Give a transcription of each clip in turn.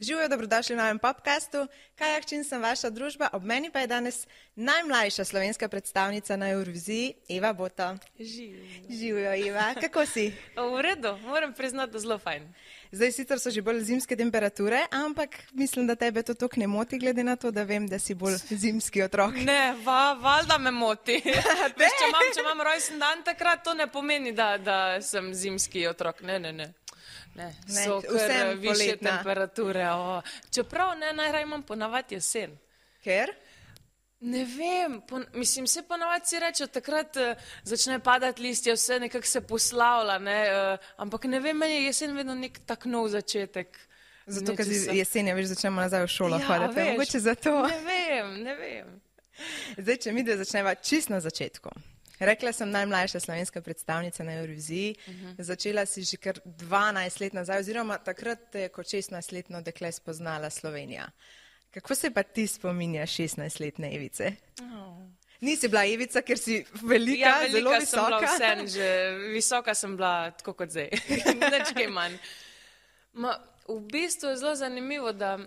Živijo, dobrodošli v novem podcastu. Kaja Hčin sem vaša družba, ob meni pa je danes najmlajša slovenska predstavnica na Euroviziji, Eva Boto. Živijo, Eva. Kako si? V redu, moram priznati, da zelo fajn. Zdaj sicer so že bolj zimske temperature, ampak mislim, da tebe to toliko ne moti, glede na to, da vem, da si bolj zimski otrok. Ne, valjda me moti. Veš, če imam rojsten dan takrat, to ne pomeni, da sem zimski otrok. Ne. So kar više temperature. Čeprav najraje imam ponavadi jesen. Ker? Ne vem, mislim, se ponavadi si reče, takrat začne padati listje, vse nekako se poslavlja, ampak ne vem, meni je jesen vedno nek tak nov začetek. Zato, ker jesen je, veš, začnemo nazaj v šolo hoditi. Mogoče zato. Ne vem. Zdaj, če mi dve začneva čist na začetku. Rekla sem najmlajša slovenska predstavnica na Euroviziji. Začela si že kar 12 let nazaj, oziroma takrat te je kot 16-letno dekle spoznala Slovenija. Kako se pa ti spominjaš 16-letne Evice? Nisi bila Evica, ker si velika, zelo visoka. Ja, velika sem bila vse, visoka sem bila tako kot zdaj. Nič kaj manj. V bistvu je zelo zanimivo, da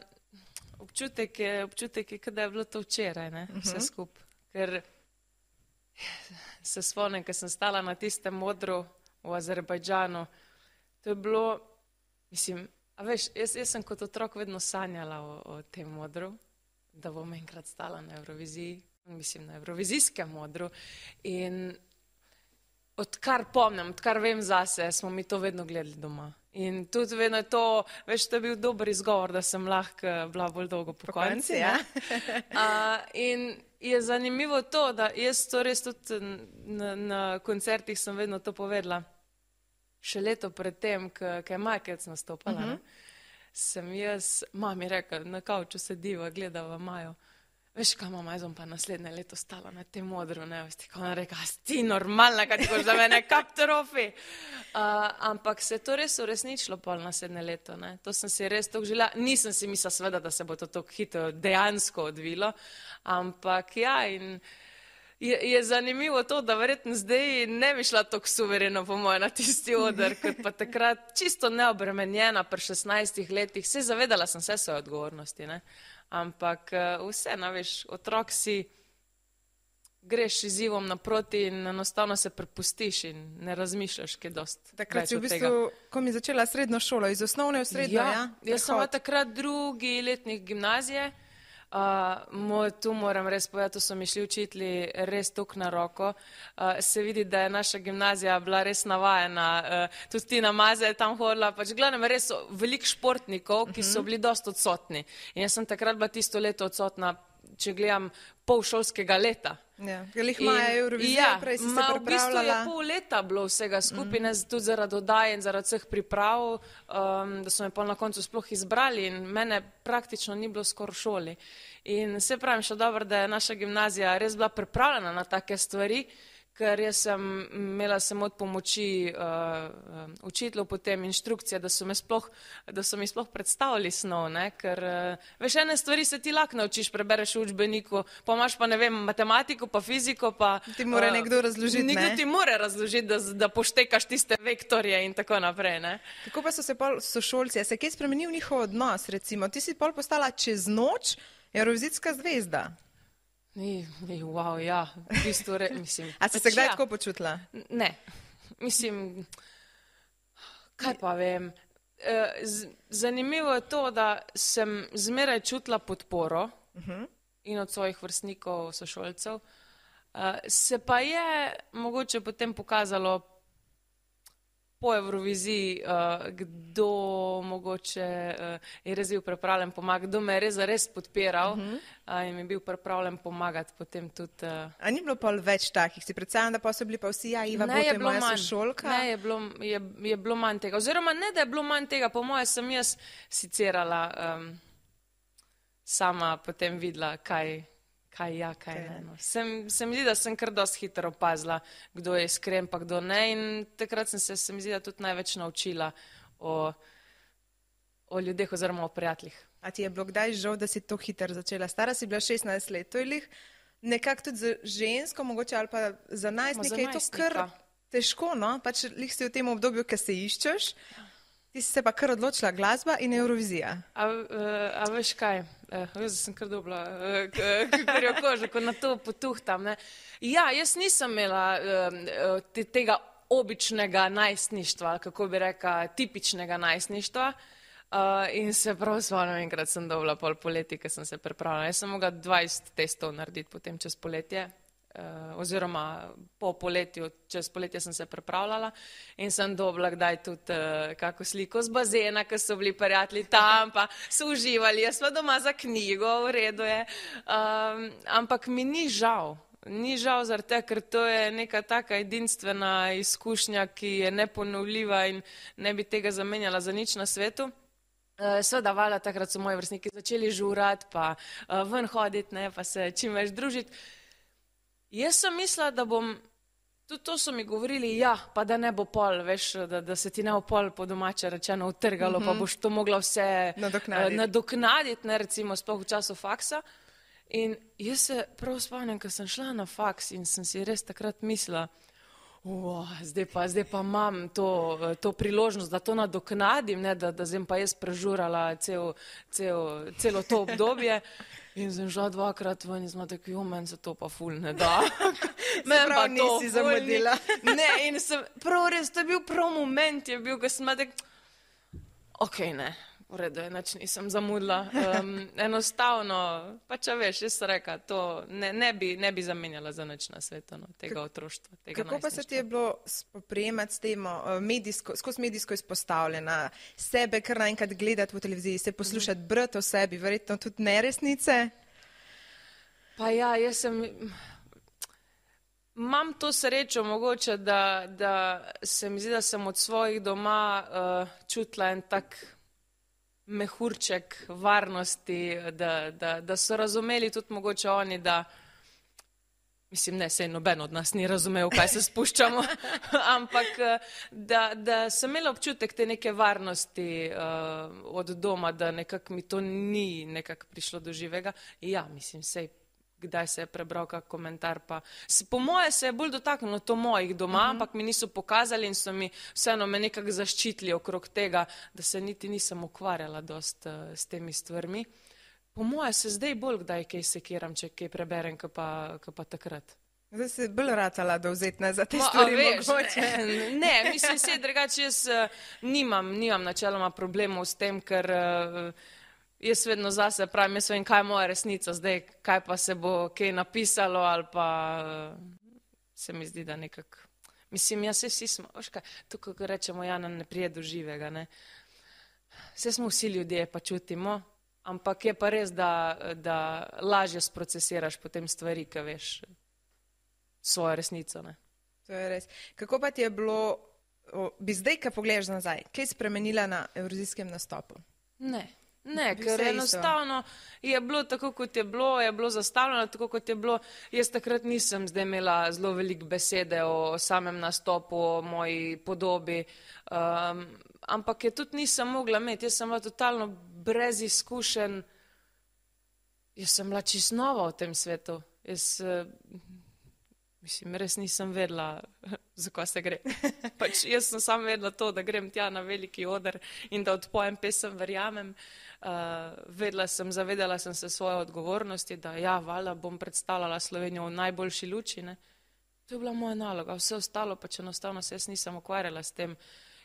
občutek je, kada je bilo to včeraj, vse skupaj. Ker se spomnim, ker sem stala na tistem modru v Azerbajdžanu. To je bilo, mislim, a veš, jaz sem kot otrok vedno sanjala o tem modru, da bom enkrat stala na Euroviziji, mislim, na Eurovizijskem modru. In odkar pomnim, odkar vem zase, smo mi to vedno gledali doma. In tudi vedno je to, veš, to je bil dober izgovor, da sem lahko bila bolj dolgo po konci. Ja. In je zanimivo to, da jaz to res tudi na koncertih sem vedno to povedala. Še leto pred tem, ko je Majkec nastopala, sem jaz mami rekla, na kavču sediva, gledava Majo. Veš kaj, mama, jaz bom pa naslednje leto stala na tem modru, ona rekla, ti normalna, kaj ti boš za mene kapterofi. Ampak se je to res uresničilo pol naslednje leto. To sem si res tako želela. Nisem si mislila seveda, da se bo to tako hitro dejansko odvilo, ampak ja, in je zanimivo to, da verjetno zdaj ne bi šla tako suvereno po moje na tisti oder, kot pa takrat čisto neobremenjena pri 16 letih. Se zavedala sem vse svoje odgovornosti, ampak vse, veš, otrok si, greš izzivom naproti in enostavno se prepustiš in ne razmišljaš, kaj dosti. Takrat si v bistvu, ko mi začela srednjo šolo, iz osnovne v srednjo, ja? Jaz sem takrat drugi letnik gimnazije. Tu moram res povedati, to so mi šli učitelji res tok na roko. Se vidi, da je naša gimnazija bila res navajena, tudi Tina Maze je tam hodila, pač glavnem res veliko športnikov, ki so bili dosti odsotni. In jaz sem takrat bila tisto leto odsotna, če gledam pol šolskega leta. Ja, lih maja Eurovizija, prej si se pripravljala. V bistvu je pol leta bilo vsega skupaj, tudi zaradi oddaje in zaradi vseh priprav, da so me pol na koncu sploh izbrali in mene praktično ni bilo skoraj v šoli. In se pravim še dobro, da je naša gimnazija res bila pripravljena na take stvari, ker jaz sem imela samo od pomoči učiteljev, potem inštrukcije, da so mi sploh predstavili snov, ker veš, ene stvari se ti lahko naučiš, prebereš v učbeniku, pa imaš pa, ne vem, matematiko, pa fiziko, pa... Ti mora nekdo razložiti, ne? Nekdo ti mora razložiti, da poštekaš tiste vektorje in tako naprej, ne? Kako pa so se pol sošolci, se kaj spremenil njihov odnos, recimo? Ti si pol postala čez noč Eurovizijska zvezda. Wow, ja, v bistvu, mislim. A si se kdaj tako počutila? Ne, mislim, kaj pa vem. Zanimivo je to, da sem zmeraj čutila podporo in od svojih vrstnikov, sošolcev. Se pa je mogoče potem pokazalo po Euroviziji, kdo mogoče je res bil pripravljen pomagati, kdo me je res podpiral in mi je bil pripravljen pomagati potem tudi. A ni bilo pol več takih? Si predstavljam, da pa so bili pa vsi, Iva Boto je moja sošolka? Ne, je bilo manj tega. Oziroma ne, da je bilo manj tega, po moje sem jaz sicerala, sama potem videla, kaj ne. Se mi zdi, da sem kar dosti hitro opazila, kdo je iskren, pa kdo ne, in takrat sem se mi zdi, da tudi največ naučila o ljudeh oziroma o prijateljih. A ti je bilo kdaj žal, da si to hitro začela? Stara si bila 16 let, to je lih nekako tudi za žensko, mogoče ali pa za najstnike je to kar težko, no? Pač lih si v tem obdobju, ki se iščeš. Ti si se pa kar odločila glasba in Eurovizija. A veš kaj? Jaz sem kar dobila, kar jo kožo, ko na to potuhtam. Ne? Ja, jaz nisem imela tega običnega najstništva, kako bi rekla, tipičnega najstništva. In se prav spomnim, enkrat sem dobila pol poleti, ko sem se pripravljala. Jaz sem mogla 20 testov narediti potem čez poletje. Oziroma po poletju, čez poletje sem se pripravljala in sem dobila kdaj tudi kako sliko z bazena, ko so bili prijatelji tam, pa so uživali, jaz pa doma za knjigo, v redu je. Ampak mi ni žal zaradi tega, ker to je neka taka edinstvena izkušnja, ki je neponovljiva in ne bi tega zamenjala za nič na svetu. Seveda, valjda, takrat so moji vrstniki začeli žurati, pa ven hoditi, ne, pa se čim več družiti. Jaz sem mislila, da bom, tudi to so mi govorili, ja, pa da ne bo pol, veš, da se ti ne bo pol po domače rečeno utrgalo, pa boš to mogla vse nadoknaditi, ne, recimo sploh v času faksa. In jaz se prav spomnim, ko sem šla na faks in sem si res takrat mislila, zdaj pa imam to priložnost, da to nadoknadim, ne, da sem pa jaz prežurala celo to obdobje. In sem šla 2-krat ven in sem tako, meni se to pa ful ne da. Meni pa nisi zamudila. Ne, in sem, prav res, to je bil prav moment, je bil, ko sem tako, okej, ne, v redu je, nič nisem zamudila. Enostavno, pa če veš, jaz sem rekla, to ne bi zamenjala za nič na svetu, no, tega otroštva, tega najstništva. Kako pa se ti je bilo spoprijemati s tem, skozi medijsko izpostavljena, sebe kar naenkrat gledati v televiziji, se poslušati, brati o sebi, verjetno tudi neresnice? Pa ja, jaz sem... Imam to srečo mogoče, da se mi zdi, da sem od svojih doma čutila en tak mehurček varnosti, da so razumeli tudi mogoče oni, da, mislim, ne, sej noben od nas ni razumel, kaj se spuščamo, ampak da sem imela občutek te neke varnosti od doma, da nekako mi to ni nekako prišlo do živega. Ja, mislim, sej kdaj se je prebral kak komentar, pa po moje se je bolj dotaknilo to mojih doma, ampak mi niso pokazali in so mi vseeno me nekako zaščitili okrog tega, da se niti nisem ukvarjala dost s temi stvarmi. Po moje se zdaj bolj kdaj kaj sekiram, če kaj preberem, ko pa takrat. Zdaj si bolj ratala dovzetna za te stvari mogoče. Ne, mislim se, drugače jaz nimam načeloma problemov s tem, ker jaz vedno zase pravim, jaz vem, kaj je moja resnica zdaj, kaj pa se bo kaj napisalo ali pa se mi zdi, da nekako, mislim, jaz vsi smo, veš kaj, tukaj, ko rečemo, Jana ne prije do živega, ne. Vse smo vsi ljudje, pa čutimo, ampak je pa res, da lažje sprocesiraš potem stvari, ko veš svojo resnico, ne. To je res. Kako pa ti je bilo, bi zdaj, ko pogledaš nazaj, kaj spremenila na evrovizijskem nastopu? Ne, ker enostavno je bilo tako, kot je bilo zastavljeno, tako kot je bilo. Jaz takrat nisem zdaj imela zelo veliko besede o samem nastopu, o moji podobi, ampak je tudi nisem mogla imeti. Jaz sem bila totalno brez izkušenj, jaz sem bila čisto nova v tem svetu. Mislim, res nisem vedela, za kaj se gre. Pač jaz sem samo vedela to, da grem tja na veliki oder in da odpojem pesem Verjamem. Zavedala sem se svoje odgovornosti, da ja, valjda bom predstavljala Slovenijo v najboljši luči, ne. To je bila moja naloga, vse ostalo pa če enostavno se jaz nisem ukvarjala s tem.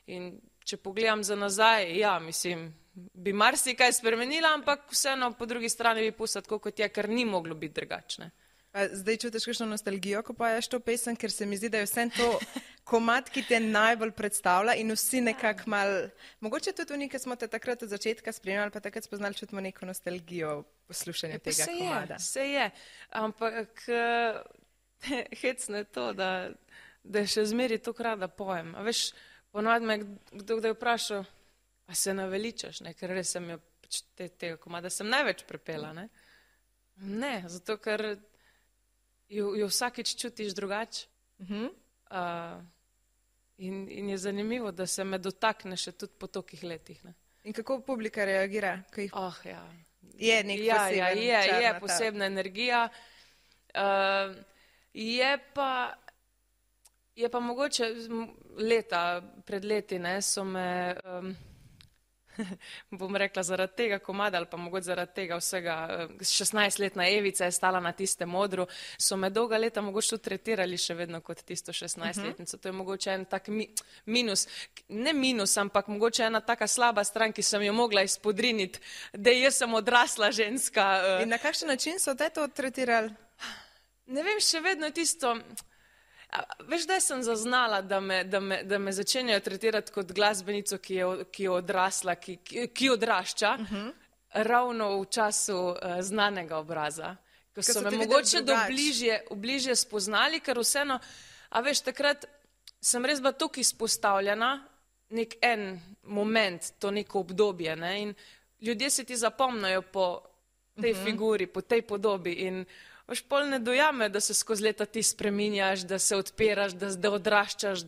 In če pogledam za nazaj, ja, mislim, bi marsikaj spremenila, ampak vseeno po drugi strani bi pustila tako, kot je, ker ni moglo biti drugačne. Zdaj čutiš kakšno nostalgijo, ko poješ to pesem, ker se mi zdi, da je vse to komad, ki te najbolj predstavlja in vsi nekako mal, mogoče tudi oni, ki smo te takrat od začetka spremljali, pa takrat spoznali, čutimo neko nostalgijo poslušanja tega komada. Se je, ampak hecno je to, da še zmeri to rada pojem. A veš, ponovadi me kdo je vprašal, a se naveličaš, ne, ker res sem jo tega komada sem največ prepela, ne. Ne, zato ker jo vsakič čutiš drugače. In je zanimivo, da se me dotakne še tudi po tolikih letih. Ne. In kako publika reagira? Ja. Je nek poseben čar. Je posebna energija. Je pa mogoče pred leti, ne, so me bom rekla, zaradi tega komada ali pa mogoče zaradi tega vsega, 16-letna Evica je stala na tistem odru, so me dolga leta mogoče tudi tretirali še vedno kot tisto 16-letnico. To je mogoče en tak minus, ne minus, ampak mogoče ena taka slaba stran, ki sem jo mogla izpodriniti, da jaz sem odrasla ženska. In na kakšen način so te to tretirali? Ne vem, še vedno tisto. Veš, da sem zaznala, da me začenjajo tretirati kot glasbenico, ki je odrasla, ki odrašča, ravno v času znanega obraza. Ko so me mogoče bližje spoznali, ker vseeno, a veš, takrat sem res bila toliko izpostavljena, nek en moment, to neko obdobje, ne, in ljudje se ti zapomnajo po tej figuri, po tej podobi in veš, pol ne dojame, da se skozi leta ti spreminjaš, da se odpiraš, da odraščaš,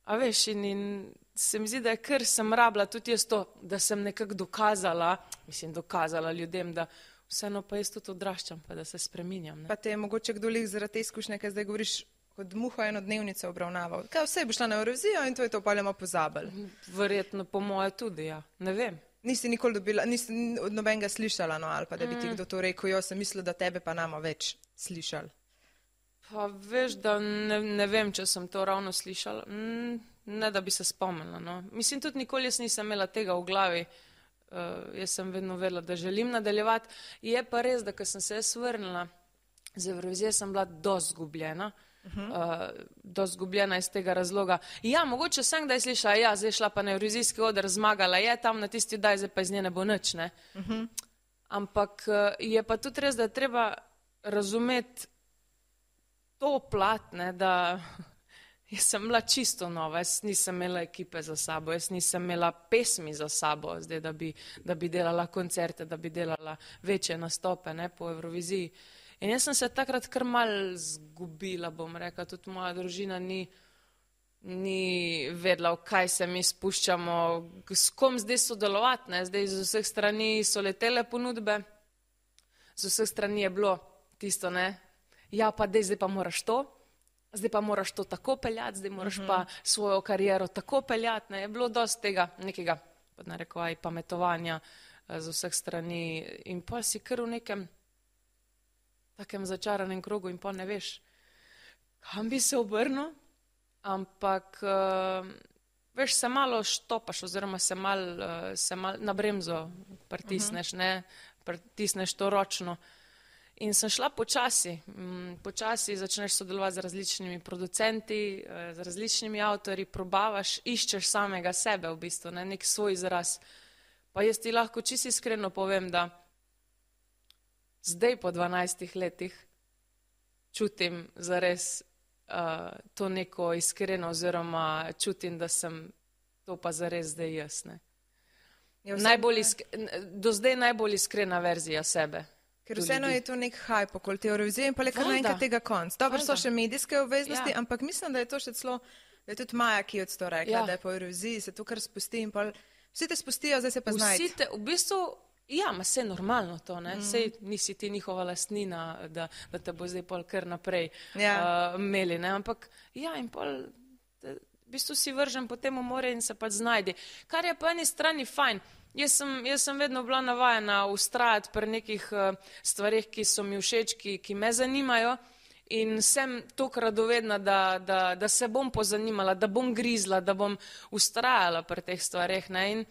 a veš, in se mi zdi, da je kar sem rabila tudi jaz to, da sem nekako dokazala ljudem, da vseeno pa jaz tudi odraščam, pa da se spreminjam. Ne? Pa te je mogoče kdo lih zaradi te izkušnje, kaj zdaj govoriš, kot muha eno dnevnico obravnaval. Kaj vse boš šla na Eurovizijo in to je to pa ljamo pozabili? Verjetno po moje tudi, ja. Ne vem. Nisi nikoli dobila, nisi od nobenega slišala, no, ali pa da bi ti kdo to rekel, jo sem mislila, da tebe pa namo več slišali. Pa veš, da ne vem, če sem to ravno slišala. Ne, da bi se spomnila, no. Mislim, tudi nikoli jaz nisem imela tega v glavi. Jaz sem vedno vedela, da želim nadaljevati. Je pa res, da ko sem se vrnila z Evrovizije, sem bila dosti zgubljena. Dosti zgubljena iz tega razloga. Ja, mogoče sem kdaj slišala, ja, zdaj šla pa na Evrovizijski oder, zmagala je tam na tisti daj, zdaj pa iz nje ne bo nič, ne. Ampak je pa tudi res, da je treba razumeti to plat, ne, da jaz sem bila čisto nova, jaz nisem imela ekipe za sabo, jaz nisem imela pesmi za sabo, zdaj, da bi delala koncerte, da bi delala večje nastope, ne, po Evroviziji. In jaz sem se takrat kar malo zgubila, bom rekla, tudi moja družina ni vedela, v kaj se mi spuščamo, s kom zdaj sodelovati, ne, zdaj z vseh strani so letele ponudbe, z vseh strani je bilo tisto, ne, ja pa zdaj pa moraš to tako peljati, zdaj moraš pa svojo kariero tako peljati, ne, je bilo dosti tega nekega, pod narekovaj, pametovanja z vseh strani in pa si kar v nekem takem začaranem krogu in pa ne veš, kam bi se obrnil, ampak veš, se malo štopaš oziroma se malo na bremzo pritisneš, ne, pritisneš to ročno. In sem šla počasi začneš sodelovati z različnimi producenti, z različnimi avtorji, probavaš, iščeš samega sebe v bistvu, ne, nek svoj izraz. Pa jaz ti lahko čisto iskreno povem, da zdaj po 12 letih čutim zares to neko iskreno oziroma čutim, da sem to pa zares zdaj jaz. Ne. Do zdaj najbolj iskrena verzija sebe. Ker vseeno je to nek hype okoli te Eurovizije in pa le kar naenkrat tega konc. Dobro, so še medijske obveznosti, ampak mislim, da je to še celo, da je tudi Maja, ki je to rekla, da je po Euroviziji se to kar spusti in pa vsi te spustijo, zdaj se pa znajti. Vsi te, v bistvu, ja, ma se je normalno to, ne, sej nisi ti njihova lastnina, da te bo zdaj pol kar naprej imeli, ne, ampak ja, in pol v bistvu si vržen po tem more in se pa znajdi. Kar je po eni strani fajn. Jaz sem vedno bila navajena ustrajati pri nekih stvarih, ki so mi všeč, ki me zanimajo in sem toliko radovedna, da se bom pozanimala, da bom grizla, da bom ustrajala pri teh stvarih, ne, in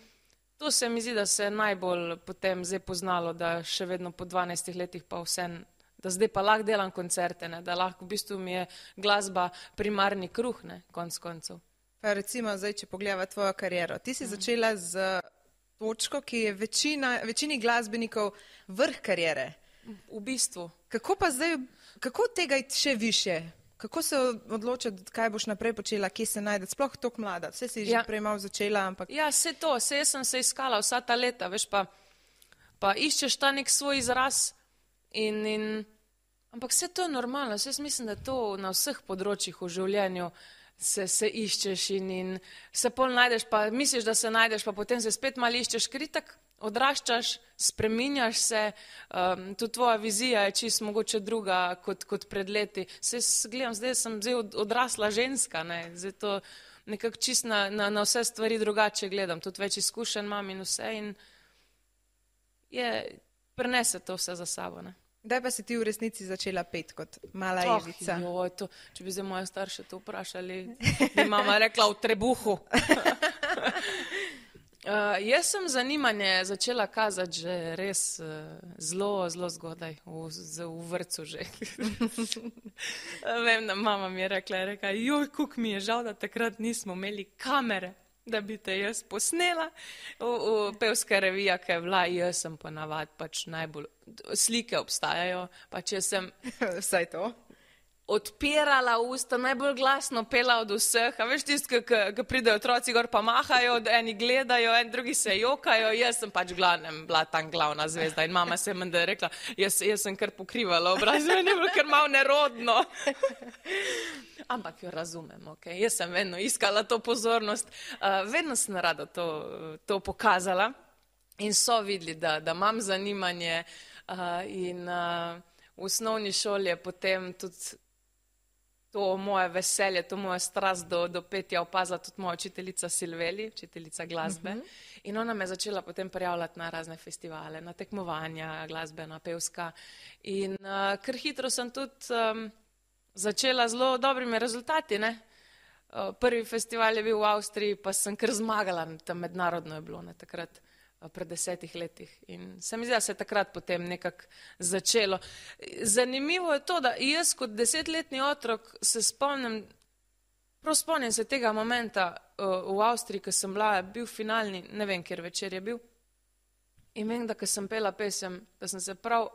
to se mi zdi, da se je najbolj potem zdaj poznalo, da še vedno po 12 letih pa vsem, da zdaj pa lahko delam koncerte, ne, da lahko v bistvu mi je glasba primarni kruh, ne, konc koncev. Pa recimo zdaj, če pogledava tvojo kariero, ti si začela z točko, ki je večini glasbenikov vrh kariere. V bistvu. Kako tega iti še više? Kako se odločiti, kaj boš naprej počela, kje se najde? Sploh toliko mlada. Vse si že prej malo začela, ampak... Ja, vse to. Jaz sem se iskala vsa ta leta, veš, pa iščeš ta nek svoj izraz ampak vse to je normalno. Jaz mislim, da to na vseh področjih v življenju se iščeš in se pol najdeš, pa misliš, da se najdeš, pa potem se spet malo iščeš, ker itak odraščaš, spreminjaš se, tudi tvoja vizija je čisto mogoče druga kot pred leti. Se gledam, zdaj sem odrasla ženska, ne, zdaj to nekako čist na vse stvari drugače gledam, tudi več izkušenj imam in vse in prenese to vse za sabo, ne. Kdaj pa si ti v resnici začela peti kot mala Evica? Če bi zdaj moje starše to vprašali, bi mama rekla v trebuhu. Jaz sem zanimanje začela kazati že res zelo zgodaj, v vrtcu že. Vem, da mama mi je rekla, joj, kuk mi je žal, da takrat nismo imeli kamere, da bi te jaz posnela. V pevska revija, ki je bila, jaz sem ponavad pač najbolj, slike obstajajo, pač jaz sem Vsaj to. odpirala usta, najbolj glasno pela od vseh, a veš tisti, ki pridejo otroci gor pa mahajo, eni gledajo, drugi se jokajo, jaz sem pač glavnem bila tam glavna zvezda in mama se je menda rekla, jaz sem kar pokrivala obraz, meni je bilo kar malo nerodno. Ampak jo razumem, ok, jaz sem vedno iskala to pozornost, vedno sem rada to pokazala in so videli, da imam zanimanje in v osnovni šoli je potem tudi to moje veselje, to moja strast do petja opazila tudi moja učiteljica Silveli, učiteljica glasbe. In ona me je začela potem prijavljati na razne festivale, na tekmovanja, glasbena, pevska. In kar hitro sem tudi začela zelo dobrimi rezultati, ne. Prvi festival je bil v Avstriji, pa sem kar zmagala, tam mednarodno je bilo, ne, takrat. Pred 10 letih in se mi zdi, da se je takrat potem nekako začelo. Zanimivo je to, da jaz kot 10-letni otrok se spomnim se tega momenta v Avstriji, ko sem bil finalni, ne vem, kjer večer je bil, in vem, da ko sem pela pesem, da sem se prav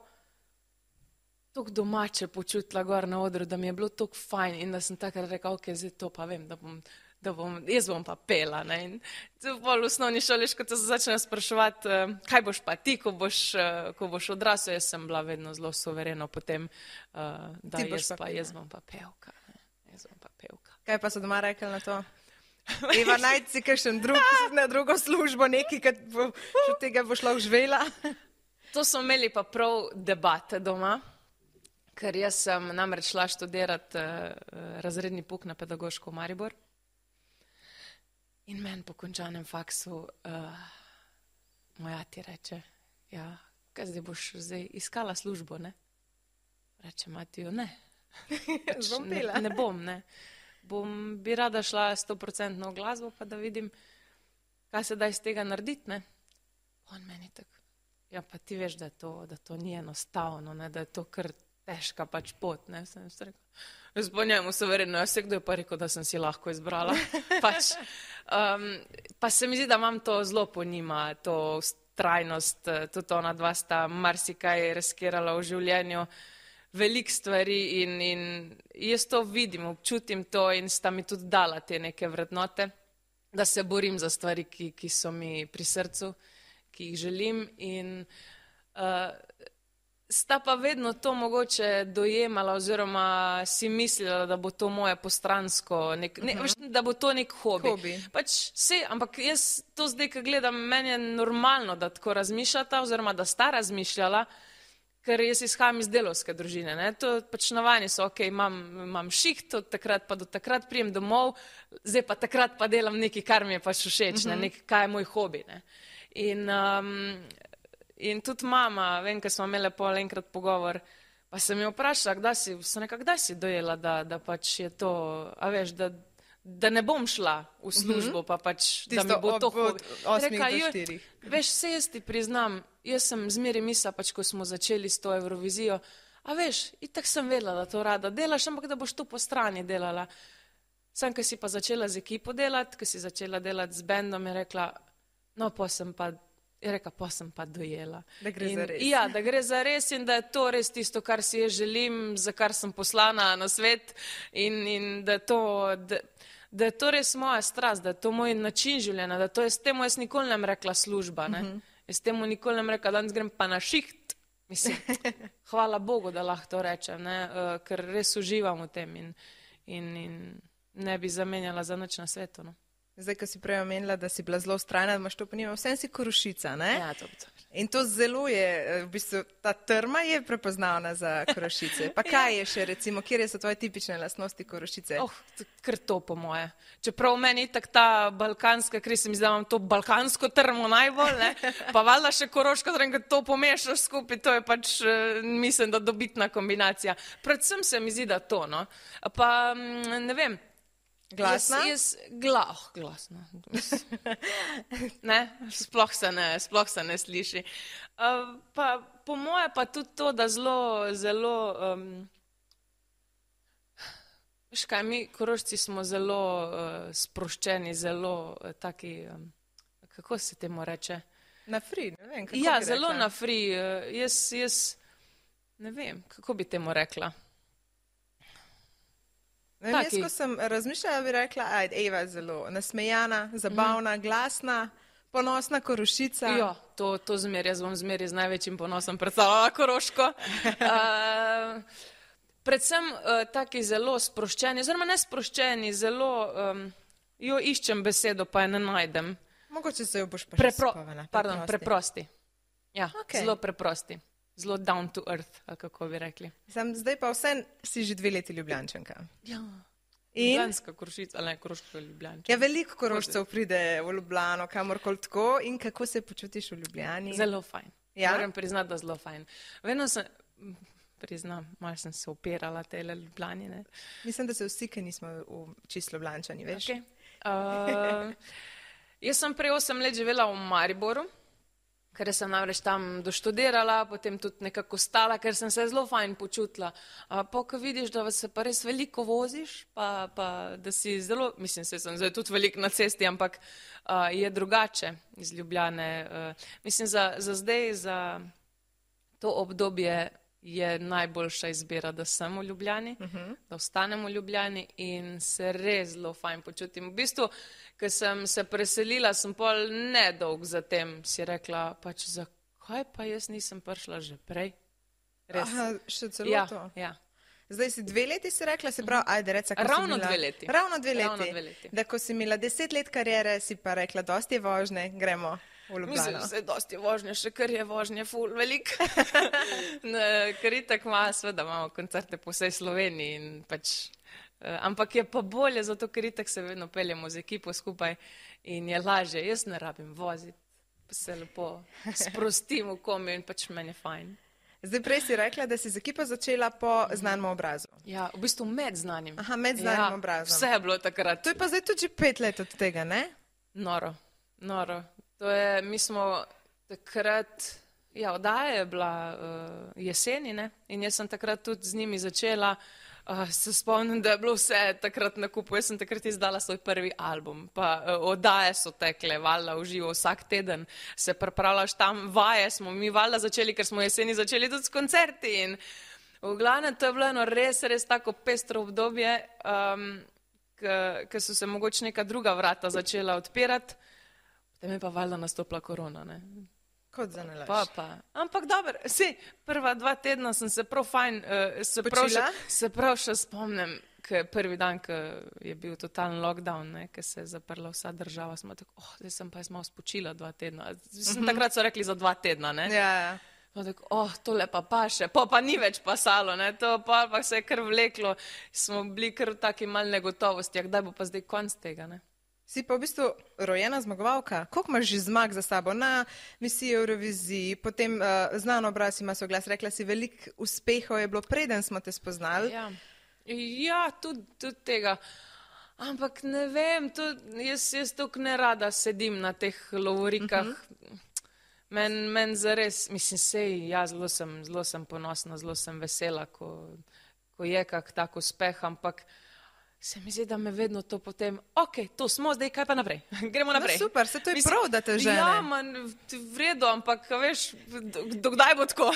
toliko domače počutila gor na odru, da mi je bilo toliko fajn in da sem takrat rekla, ok, zdaj to pa vem, jaz bom pa pela, ne, in v osnovni šoli, ko te začnejo spraševati, kaj boš pa ti, ko boš odrasel, jaz sem bila vedno zelo suvereno potem, da jaz bom pa pevka, ne, jaz bom pa pevka. Kaj pa so doma rekli na to? Eva, najti si kakšen na drugo službo, nekaj, kad od tega boš lahko živela? To smo imeli pa prav debate doma, ker jaz sem namreč šla študirati razredni pouk na pedagoško v Maribor. In meni po končanem faksu moj ati reče, ja, kaj zdaj boš iskala službo, ne? Reče Matiju, ne. Ne bom, ne. Bi rada šla 100% v glasbo, pa da vidim, kaj se da iz tega narediti, ne. On meni tako, ja, pa ti veš, da to ni enostavno, ne, da je to kar težka pač pot, ne, sem rekel. Jaz po njemu suvereno, jaz kdo je pa rekel, da sem si lahko izbrala. Pač, pa se mi zdi, da imam to zelo po njima, to trajnost, tudi ona dva sta marsikaj riskirala v življenju, veliko stvari in jaz to vidim, občutim to in sta mi tudi dala te neke vrednote, da se borim za stvari, ki so mi pri srcu, ki jih želim in sta pa vedno to mogoče dojemala oziroma si mislila, da bo to moje postransko, da bo to nek hobi. Pač ampak jaz to zdaj, ko gledam, meni je normalno, da tako razmišljata oziroma da sta razmišljala, ker jaz izhajam iz delovske družine, ne. To pač navajeni so, ok, imam šiht, od takrat pa do takrat prijem domov, zdaj pa takrat pa delam nekaj, kar mi je pač všeč, ne, kaj je moj hobi, ne. In tudi mama, vem, ko smo imeli pol enkrat pogovor, pa sem jo vprašala, kdaj si dojela, da pač je to, a veš, da ne bom šla v službo, pa pač, da mi bo to hobi. Veš, se jaz ti priznam, jaz sem zmeraj mislila, pač, ko smo začeli s to Evrovizijo, a veš, itak sem vedela, da to rada delaš, ampak da boš to po strani delala. Sam, ko si pa začela z ekipo delati, ko si začela delati z bendom, je rekla, no, pa sem pa dojela. Da gre za res. Ja, da gre za res in da je to res tisto, kar si jaz želim, za kar sem poslana na svet in da je to res moja strast, da je to moj način življenja, da to je s tem jaz nikoli ne bom rekla služba, ne. Jaz temu nikoli ne bom rekla, danes grem pa na šiht. Mislim, hvala Bogu, da lahko to rečem, ne, ker res uživam v tem in ne bi zamenjala za nič na svetu, no. Zdaj, ko si prej omenila, da si bila zelo vztrajna, da imaš to ponima, vsem si Korošica, ne? Ja, to. In to zelo je, v bistvu, ta trma je prepoznavna za Korošice. Pa kaj je še, recimo, kje so tvoje tipične lastnosti Korošice? Kar to po moje. Čeprav meni tak ta balkanska, ker se mi zdi, da imam to balkansko trmo najbolj, ne? Pa valjda še Koroško, ko to pomešaš skupaj, to je pač, mislim, da dobitna kombinacija. Predvsem se mi zdi, da to, no. Pa, ne vem, Glasna? Glasna. Ne, sploh se ne sliši. Pa po moje pa tudi to, da zelo, veš kaj, mi Korošci smo zelo sproščeni, zelo taki, kako se temu reče? Na free, ne vem, kako ja, bi zelo rekla. na free. Jaz ne vem, kako bi temu rekla. Jaz, ko sem razmišljala, bi rekla, Eva je zelo nasmejana, zabavna, glasna, ponosna Korošica. Ja, to zmeraj, jaz bom zmeraj z največjim ponosom predstavljala Koroško. Predvsem taki zelo sproščeni, oziroma ne sproščeni, zelo, iščem besedo, pa je ne najdem. Mogoče se jo boš pa še spomnila. Preprosti. Ja, zelo preprosti. Zelo down to earth, ali kako bi rekli. Zdaj pa vse si že 2 leti Ljubljančanka. Ja, Ljubljanska Korošica, ali ne Koroška Ljubljančanka. Ja, veliko Korošcev pride v Ljubljano, kamorkoli tako. In kako se počutiš v Ljubljani? Zelo fajn. Ja? Moram priznati, da zelo fajn. Vedno sem, malo sem se opirala tele Ljubljani, ne. Mislim, da se vsi, ki nismo čisto Ljubljančani, veš? Okay. Jaz sem prej 8 let živela v Mariboru, ker sem namreč tam doštudirala, potem tudi nekako stala, ker sem se zelo fajn počutila. Pa ko vidiš, da se pa res veliko voziš, pa da si zelo, mislim, se sem zdaj tudi veliko na cesti, ampak je drugače iz Ljubljane. Mislim, za zdaj, za to obdobje je najboljša izbira, da sem v Ljubljani, da ostanem v Ljubljani in se res zelo fajn počutim. V bistvu, ko sem se preselila, sem pol nedolg zatem si rekla, pač zakaj pa jaz nisem prišla že prej? Res. Aha, še celo to? Ja. Zdaj si 2 leti si rekla, se pravi, ajde reca, ko Ravno si imela... 2 leti. Ravno 2 leti. Ravno 2 leti. Da ko si imela 10 let karijere, si pa rekla, dosti je vožnje, gremo v Ljubljano. Mislim, da se dosti je vožnje, še kar je vožnje ful velik. Ker itak seveda imamo koncerte po vsej Sloveniji in pač, ampak je pa bolje, zato ker itak se vedno peljemo z ekipo skupaj in je lažje. Jaz ne rabim voziti, pa se lepo sprostim v komi in pač meni je fajn. Zdaj prej si rekla, da si z ekipo začela po znanem obrazu. Ja, v bistvu med znanim. Aha, med znanim obrazom. Vse je bilo takrat. To je pa zdaj tudi že 5 let od tega, ne? Noro. To je, mi smo takrat, ja, oddaja je bila jeseni, ne? In jaz sem takrat tudi z njimi začela. Se spomnim, da je bilo vse takrat na kupu. Jaz sem takrat izdala svoj prvi album, pa oddaje so tekle, valjda v živo, vsak teden se pripravljaš tam, vaje smo mi valjda začeli, ker smo jeseni začeli tudi s koncerti in v glavnem to je bilo eno res tako pestro obdobje, ker so se mogoče neka druga vrata začela odpirati, potem je pa valjda nastopila korona, ne. Kot za nalaž. Ampak dobro, prva 2 tedna sem se prav fajn, se prav še spomnim, prvi dan, ko je bil totalen lockdown, ko se je zaprla vsa država, smo tako, zdaj sem pa jaz malo spočila 2 tedna. Takrat so rekli za 2 tedna, ne? Ja. Tako, tole pa še, pa ni več pasalo, ne? To pa se je kar vleklo, smo bili kar v taki mal negotovosti, kdaj bo pa zdaj konc tega, ne? Si pa v bistvu rojena zmagovalka. Koliko imaš že zmag za sabo na misiji Euroviziji, potem znan obraz ima svoj glas, rekla si, veliko uspehov je bilo, preden smo te spoznali. Ja, tudi tega. Ampak ne vem, jaz tukaj ne rada sedim na teh lovorikah. Men zares, mislim, ja, zelo sem ponosna, zelo sem vesela, ko je kak tak uspeh, ampak se mi zdi, da me vedno to potem, to smo, zdaj kaj pa naprej, gremo naprej. No super, se to je prav, da te žene. Ja, v redu, ampak veš, dokdaj bo tako?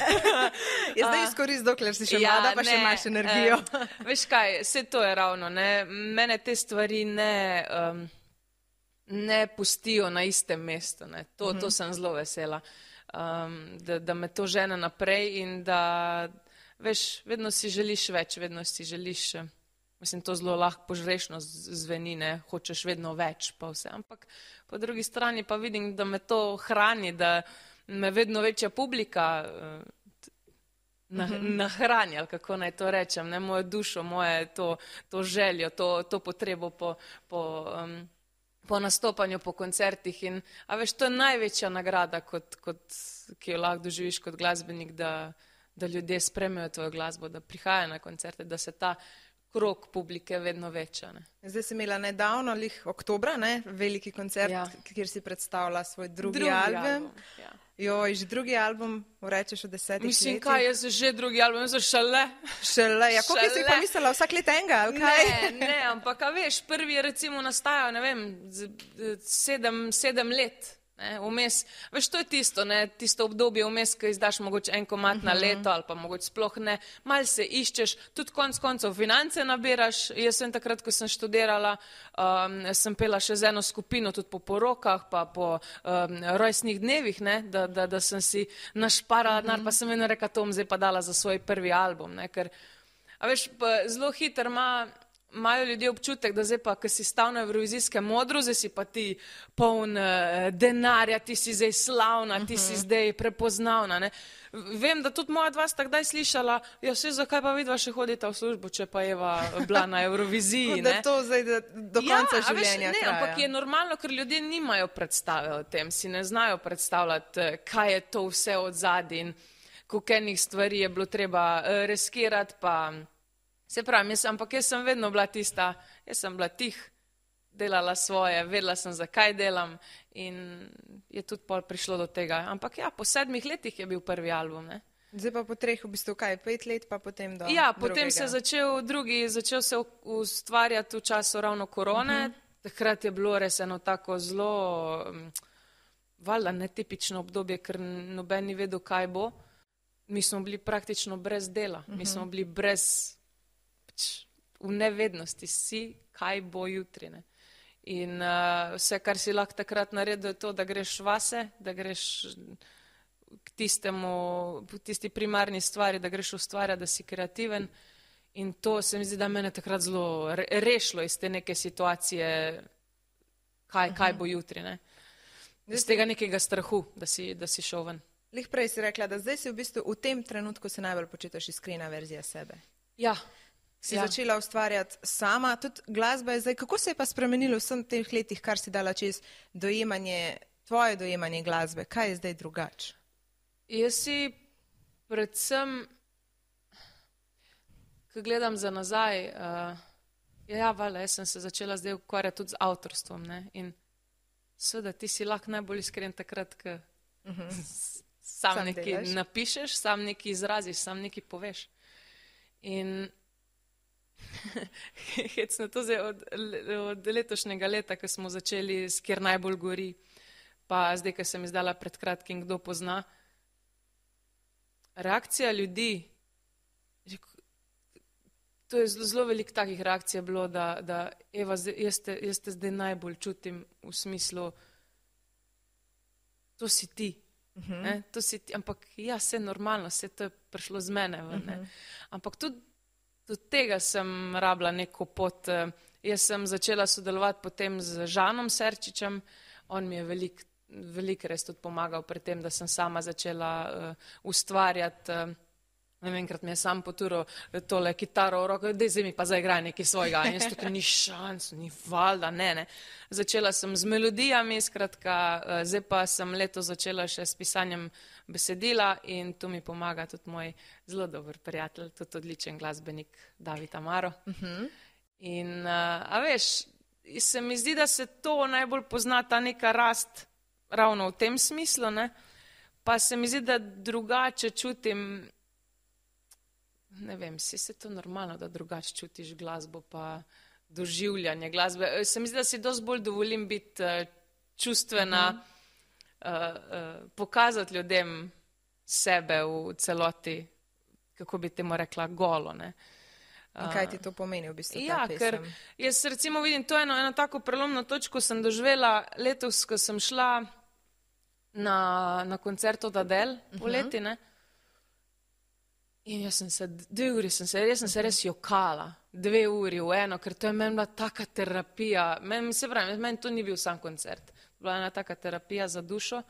Zdaj izkoristi, dokler si še mlada, pa še imaš energijo. Veš kaj, vse to je ravno, ne, mene te stvari ne pustijo na istem mestu, ne, to sem zelo vesela, da me to žene naprej in da, veš, vedno si želiš več, vedno si želiš Mislim, to zelo lahko požrešno zveni, ne, hočeš vedno več, pa vse. Ampak po drugi strani pa vidim, da me to hrani, da me vedno večja publika nahrani, ali kako naj to rečem, ne, mojo dušo, moje to željo, to potrebo po nastopanju, po koncertih. In, a veš, to je največja nagrada, ki jo lahko doživiš kot glasbenik, da ljudje spremljajo tvojo glasbo, da prihajajo na koncerte, da se ta krog publike vedno veča. Ne. Zdaj si imela nedavno, oktobra, ne, veliki koncert, kjer si predstavila svoj drugi album. Ja. Joj, že drugi album, rečeš, v 10 letih. Mislim, kaj je že drugi album, jaz šele. Šele, ja, koliko si pa mislila, vsak let enega, ali kaj? Ne, ampak, a veš, prvi je recimo nastajal, ne vem, 7 let. Vmes, veš, to je tisto, ne, tisto obdobje vmes, ko izdaš mogoče en komad na leto ali pa mogoče sploh ne, malo se iščeš, tudi konc koncev finance nabiraš. Jaz sem takrat, ko sem študirala, sem pela še z eno skupino, tudi po porokah, pa po rojstnih dnevih, ne, da sem si našparala denar, pa sem vedno rekla, to bom zdaj pa dala za svoj prvi album, ne, ker, a veš, zelo hitro imajo ljudje občutek, da zdaj pa, ko si stal na evrovizijskem modru, zdaj si pa ti poln denarja, ti si zdaj slavna, ti si zdaj prepoznavna. Ne. Vem, da tudi moja dva sta kdaj slišala, ja, vse zakaj pa vidva še hodita v službo, če pa Eva bila na Evroviziji. Da to zdaj do konca življenja traja. Ampak je normalno, ker ljudje nimajo predstave o tem, si ne znajo predstavljati, kaj je to vse od zadaj in koliko enih stvari je bilo treba riskirati, pa se pravi, ampak jaz sem vedno bila tista, jaz sem bila tih, delala svoje, vedela sem, zakaj delam in je tudi pol prišlo do tega. Ampak ja, po 7 letih je bil prvi album, ne. Zdaj pa po 3, v bistvu kaj, 5 let, pa potem do Ja, potem se začel se ustvarjati v času ravno korone, takrat je bilo res eno tako zelo, valjda netipično obdobje, ker noben ni vedel, kaj bo. Mi smo bili praktično brez dela, mi smo bili brez v nevednosti si, kaj bo jutri. Ne. In vse, kar si lahko takrat naredil, je to, da greš vase, da greš k tisti primarni stvari, da greš ustvarjati, da si kreativen. In to se mi zdi, da mene takrat zelo rešilo iz te neke situacije, kaj bo jutri. Ne. Iz tega nekega strahu, da si šel ven. Lih prej si rekla, da zdaj si v bistvu v tem trenutku se najbolj počutiš iskrena verzija sebe. Ja. Si začela ustvarjati sama, tudi glasba je zdaj, kako se je pa spremenilo v vsem teh letih, kar si dala čez tvoje dojemanje glasbe, kaj je zdaj drugače? Jaz si predvsem, ko gledam za nazaj, jaz sem se začela zdaj ukvarjati tudi z avtorstvom, ne, in seveda ti si lahko najbolj iskren takrat, ko sam nekaj napišeš, sam nekaj izraziš, sam nekaj poveš. In hecno to zdaj od letošnjega leta, ko smo začeli s Kjer najbolj gori, pa zdaj, ko sem izdala pred kratkim Kdo pozna, reakcija ljudi, to je zelo veliko takih reakcij bilo, da Eva, jaz te zdaj najbolj čutim v smislu, to si ti. To si ti, ampak ja, vse normalno, vse to je prišlo z mene. Ampak tudi do tega sem rabila neko pot. Jaz sem začela sodelovati potem z Žanom Serčičem, on mi je veliko res tudi pomagal pri tem, da sem sama začela ustvarjati. Enkrat mi je sam potural tole kitaro v roko, zdaj mi pa zaigraj nekaj svojega. In jaz tukaj ni šans, ni valjda, ne. Začela sem z melodijami, skratka, zdaj pa sem letos začela še s pisanjem besedila in tu mi pomaga tudi moj zelo dober prijatelj, tudi odličen glasbenik David Amaro. In, a veš, se mi zdi, da se to najbolj pozna, ta neka rast ravno v tem smislu, ne. Pa se mi zdi, da drugače čutim, ne vem, si se to normalno, da drugače čutiš glasbo pa doživljanje glasbe. Se mi zdi, da si dosti bolj dovolim biti čustvena, pokazati ljudem sebe v celoti, kako bi temu rekla, golo. Ne. In kaj ti to pomeni v bistvu ta pesem? Ker jaz recimo vidim, to je eno tako prelomno točko sem doživela letos, ko sem šla na koncert od Adele poleti, ne. In jaz sem se, 2 uri sem se res jokala. 2 uri v eno, ker to je meni bila taka terapija. Meni to ni bil sam koncert. Bila ena taka terapija za dušo.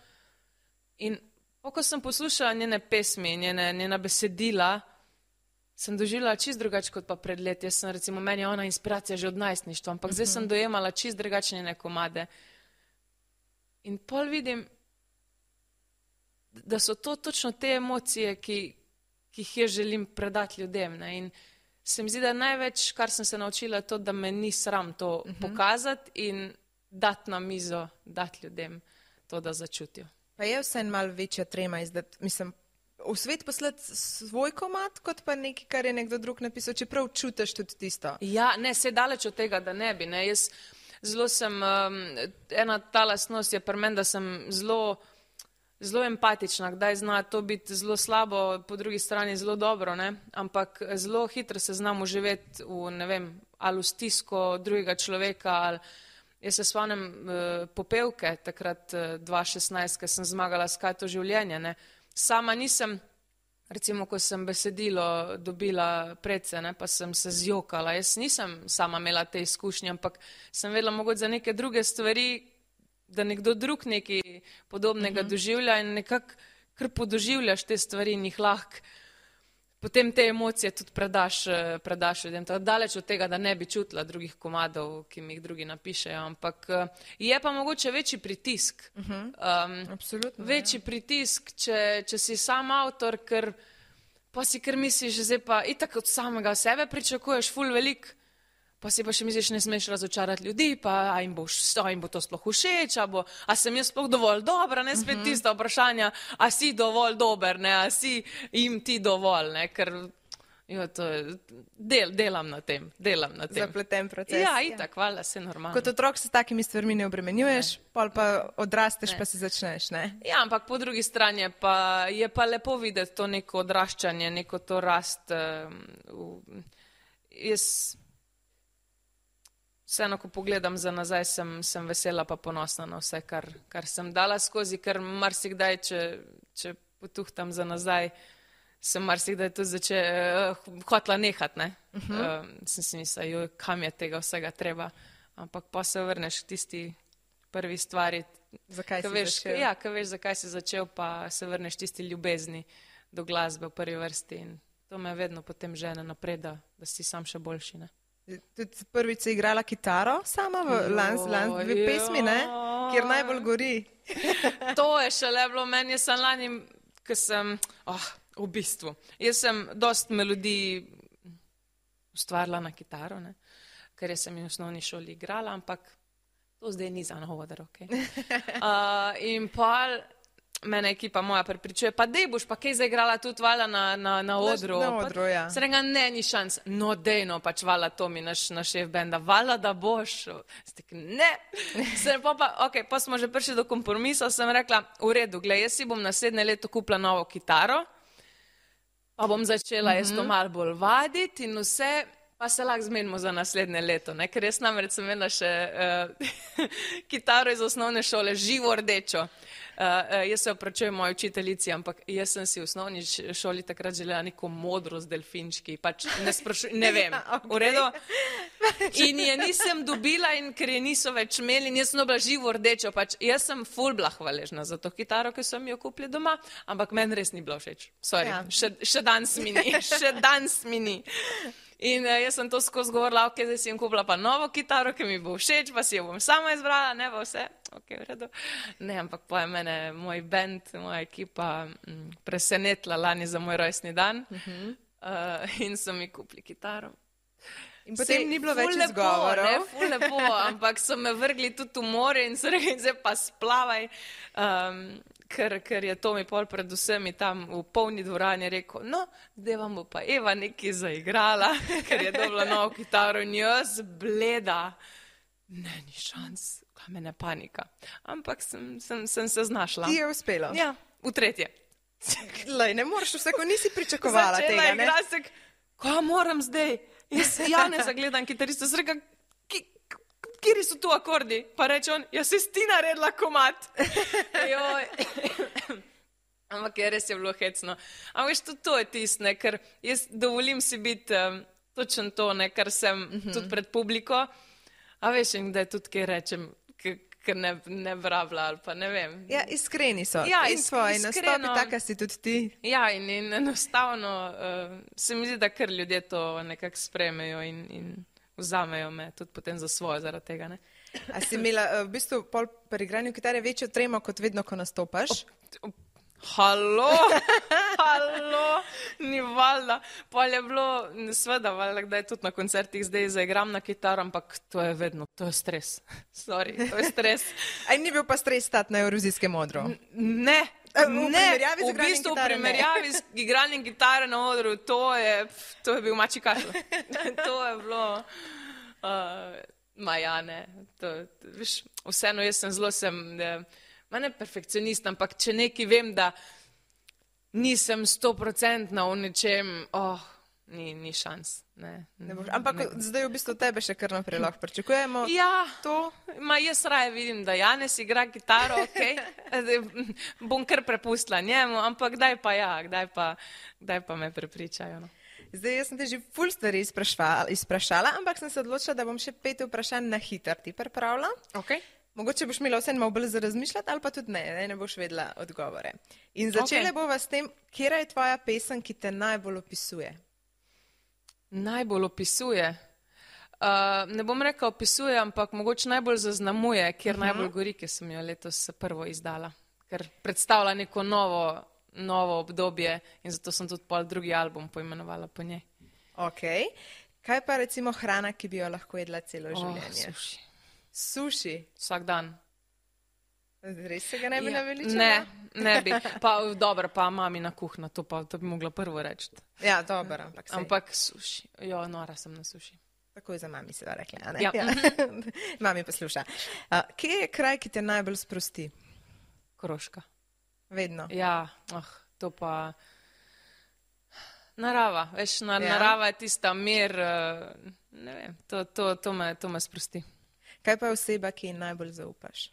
In ko sem poslušala njene pesmi, njena besedila, sem doživela čist drugače kot pa pred leti. Jaz sem recimo, meni je ona inspiracija že od najstništva, ampak zdaj sem dojemala čist drugačne njene komade. In pol vidim, da so to točno te emocije, ki jih jaz želim predati ljudem. Ne? In se mi zdi, da največ, kar sem se naučila, je to, da me ni sram to pokazati in dati na mizo, dati ljudem to, da začutijo. Pa je vse malo večja trema izdati, mislim, v svet poslati svoj komad, kot pa nekaj, kar je nekdo drug napisal, čeprav čutiš tudi tisto. Ja, ne, se daleč od tega, da ne bi. Ne. Jaz zelo sem, ena ta lastnost je pri meni, da sem zelo empatična, kdaj zna to biti zelo slabo, po drugi strani zelo dobro, ne? Ampak zelo hitro se znam uživeti v, ne vem, ali v stisko drugega človeka, ali jaz se spomnim popevke takrat 2016, ko sem zmagala s Kaj to življenje, ne? Sama nisem, recimo, ko sem besedilo dobila predse, ne, pa sem se zjokala, jaz nisem sama imela te izkušnje, ampak sem vedela mogoče za neke druge stvari, da nekdo drug nekaj podobnega doživlja in nekako kar podoživljaš te stvari in jih lahko potem te emocije tudi predaš ljudem. Tako daleč od tega, da ne bi čutila drugih komadov, ki mi jih drugi napišejo, ampak je pa mogoče večji pritisk. Absolutno. Večji pritisk, če si sam avtor, ker pa si kar misliš, že zdaj pa itak od samega sebe pričakuješ ful velik, pa si pa še misliš, ne smeš razočarati ljudi, pa a jim bo to sploh všeč, a sem jaz sploh dovolj dobra, ne spet tista vprašanja, a si dovolj dober, ne, a si jim ti dovolj, ne, ker to je, delam na tem. Zapleten proces. Ja, itak, hvala, se normalno. Kot otrok se s takimi stvarmi ne obremenjuješ, pol pa odrasteš, pa se začneš, ne? Ja, ampak po drugi strani je pa lepo videti to neko odraščanje, neko to rast. Jaz vseeno, ko pogledam za nazaj, sem vesela pa ponosna na vse, kar sem dala skozi, ker marsikdaj, če potuhtam za nazaj, sem marsikdaj tudi hotela nehati, ne. Sem si mislila, kam je tega vsega treba, ampak pa se vrneš k tisti prvi stvari. Zakaj si začel? Ja, ko veš, zakaj si začel, pa se vrneš tisti ljubezni do glasbe v prvi vrsti in to me vedno potem žene naprej, da si sam še boljši, ne. Tudi prvič si igrala kitaro sama v dve pesmi, ne? Kjer najbolj gori. To je šele bilo meni, jaz sem lani, ko sem, v bistvu, jaz sem dost melodij ustvarila na kitaro, ne? Ker jaz sem in v osnovni šoli igrala, ampak to zdaj ni za novoder, ok. In pa mene ekipa moja prepričuje, pa dej boš pa kaj zaigrala tudi vala na odru. Na odru, ja. Se rega, ne, ni šans. No, dejno, pač vala Tomi, naš šef benda, vala da boš. Stek, ne. Pa smo že prišli do kompromisa, sem rekla, v redu, glej, jaz si bom naslednje leto kupila novo kitaro, pa bom začela jaz to malo bolj vaditi in vse, pa se lahko zmenimo za naslednje leto, ne? Ker jaz namreč sem imela še kitaro iz osnovne šole, živo rdečo. Jaz se opravičujem moji učiteljici, ampak jaz sem si v osnovni šoli takrat želela neko modro z delfinčki, pač ne vem, v redu. In je nisem dobila in ker je niso več imeli in jaz sem dobila živo rdečo, pač jaz sem ful bila hvaležna za to kitaro, ki so mi jo kupili doma, ampak meni res ni bilo všeč. Sorry, še danes mi ni. In jaz sem to skozi govorila, ok, zdaj si jim kupila pa novo kitaro, ki mi bo všeč, pa si jo bom sama izbrala, ne bo vse, ok, v redu. Ne, ampak pa je mene moj band, moja ekipa presenetila lani za moj rojstni dan in so mi kupili kitaro. In potem ni bilo več izgovorov. Ful lepo, ampak so me vrgli tudi v more in so rekli, zdaj pa splavaj. Ker je Tomi pol pred vsemi tam v polni dvorani rekel, no, zdaj vam bo pa Eva nekaj zaigrala, ker je dobila novo kitaro in jaz bleda. Ne, ni šans, kaj mene panika. Ampak sem se znašla. Ti je uspelo? Ja, v tretje. Lej, ne moreš, vsako nisi pričakovala tega, ne? Začela je glasek, kaj moram zdaj? Jaz ne zagledam kitaristo, sem rekla, kjeri so tu akordi? Pa reče on, jaz si ti naredila komad. Ampak res je bilo hecno. Ampak veš, to je tistne, ker jaz dovolim si biti točno to, ne, kar sem tudi pred publiko. A veš, in kdaj tudi kaj rečem, ker ne bravla ali pa ne vem. Ja, iskreni so. Ja, in tvoji nastopi, taka si tudi ti. Ja, in enostavno se mi zdi, da kar ljudje to nekako sprejmejo in vzamejo me tudi potem za svojo zaradi tega, ne. A si imela v bistvu pol pri igranju kitare večjo tremo, kot vedno, ko nastopaš? Halo, ni valjda. Pol je bilo, sveda, valjda, kdaj tudi na koncertih zdaj zaigram na kitaro, ampak to je vedno, to je stres. Sorry, to je stres. Aj ni bil pa stres stati na Evrovizijskem odru? Ne, v bistvu v primerjavi z igranjem kitare na odru, to je bil mači kašl. To je bilo, majane, veš, vseeno jaz sem ne perfekcionist, ampak če nekaj vem, da nisem 100% v nečem, ni šans. Ampak zdaj v bistvu tebe še kar naprej lahko pričakujemo. Ja, jaz raje vidim, da Janez igra kitaro, bom kar prepustila njemu, ampak kdaj pa me prepričajo. No. Zdaj, jaz sem te že ful stvari izprašala, ampak sem se odločila, da bom še 5 vprašanj na hitro ti pripravila. Mogoče boš imela vse malo bolj za razmišljati, ali pa tudi ne boš vedela odgovore. In začele bova s tem, katera je tvoja pesem, ki te najbolj opisuje? Najbolj opisuje? Ne bom rekla opisuje, ampak mogoče najbolj zaznamuje, kjer najbolj gori, ki sem jo letos prvo izdala. Ker predstavlja neko novo obdobje in zato sem tudi pol drugi album poimenovala po njej. Kaj pa recimo hrana, ki bi jo lahko jedla celo življenje? Suši? Vsak dan. Res se ga ne bi naveličala? Ne bi. Pa dobro, pa mamina kuhna, to bi mogla prvo reči. Ja, dobro, ampak sej. Ampak suši. Nora sem na suši. Takoj za mami se da rekla, a ne? Ja. Mami posluša. Kje je kraj, ki te najbolj sprosti? Koroška. Vedno? Ja, to pa... Narava, veš, narava je tista mir, ne vem, to me sprosti. Kaj pa je oseba, ki ji najbolj zaupaš?